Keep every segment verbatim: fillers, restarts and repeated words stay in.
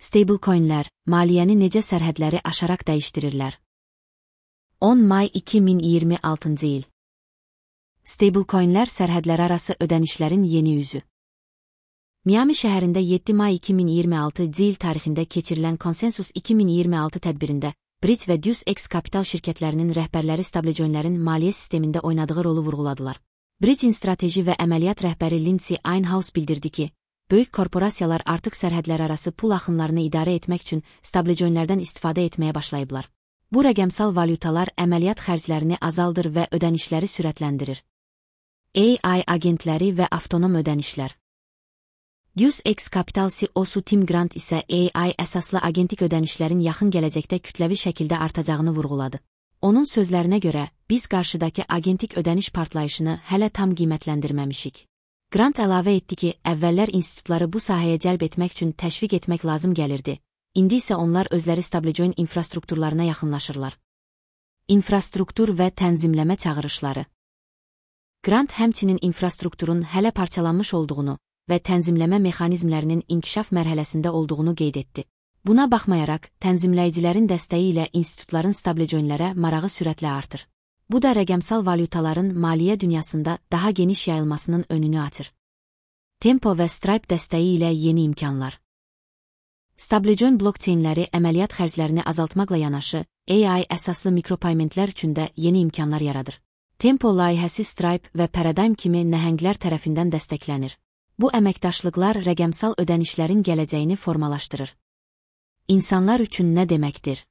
Stablecoinlər, maliyyəni necə sərhədləri aşaraq dəyişdirirlər? on may iki min iyirmi altıncı il. Stablecoinlər sərhədlərarası ödənişlərin yeni üzü. Miami şəhərində yeddi may iki min iyirmi altıncı il tarixində keçirilən Konsensus iki min iyirmi altı tədbirində Bridge və DeuceX kapital şirkətlərinin rəhbərləri stablecoinlərin maliyyə sistemində oynadığı rolu vurğuladılar. Bridge'in strateji və əməliyyat rəhbəri Lindsay Einhaus bildirdi ki, böyük korporasiyalar artıq sərhədlərarası pul axınlarını idarə etmək üçün stablecoinlərdən istifadə etməyə başlayıblar. Bu rəqəmsal valyutalar əməliyyat xərclərini azaldır və ödənişləri sürətləndirir. A I agentləri və avtonom ödənişlər. DeuceX Capital C E O-su Tim Grant isə A I əsaslı agentik ödənişlərin yaxın gələcəkdə kütləvi şəkildə artacağını vurğuladı. Onun sözlərinə görə, biz qarşıdakı agentik ödəniş partlayışını hələ tam qiymətləndirməmişik. Grant əlavə etdi ki, əvvəllər institutları bu sahəyə cəlb etmək üçün təşviq etmək lazım gəlirdi. İndi isə onlar özləri stablecoin infrastrukturlarına yaxınlaşırlar. İnfrastruktur və tənzimləmə çağırışları. Grant həmçinin infrastrukturun hələ parçalanmış olduğunu və tənzimləmə mexanizmlərinin inkişaf mərhələsində olduğunu qeyd etdi. Buna baxmayaraq, tənzimləyicilərin dəstəyi ilə institutların stablecoinlərə marağı sürətlə artır. Bu da rəqəmsal valyutaların maliyyə dünyasında daha geniş yayılmasının önünü açır. Tempo və Stripe dəstəyi ilə yeni imkanlar. Stablecoin blokçeynləri əməliyyat xərclərini azaltmaqla yanaşı, A I əsaslı mikropaymentlər üçün də yeni imkanlar yaradır. Tempo layihəsi Stripe və Paradigm kimi nəhənglər tərəfindən dəstəklənir. Bu əməkdaşlıqlar rəqəmsal ödənişlərin gələcəyini formalaşdırır. İnsanlar üçün nə deməkdir?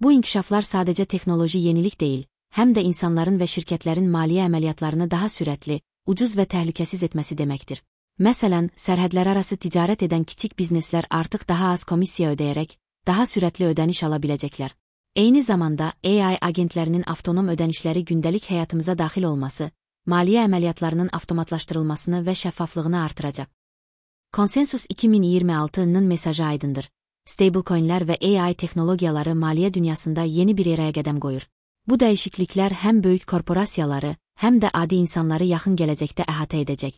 Bu inkişaflar sadəcə texnoloji yenilik deyil, həm də insanların və şirkətlərin maliyyə əməliyyatlarını daha sürətli, ucuz və təhlükəsiz etməsi deməkdir. Məsələn, sərhədlərarası ticarət edən kiçik bizneslər artıq daha az komissiya ödəyərək, daha sürətli ödəniş ala biləcəklər. Eyni zamanda, A I agentlərinin avtonom ödənişləri gündəlik həyatımıza daxil olması, maliyyə əməliyyatlarının avtomatlaşdırılmasını və şəffaflığını artıracaq. Konsensus iki min iyirmi altının mesajı aydındır. Stablecoinlər və A I texnologiyaları maliyyə dünyasında yeni bir eraya qədəm qoyur. Bu dəyişikliklər həm böyük korporasiyaları, həm də adi insanları yaxın gələcəkdə əhatə edəcək.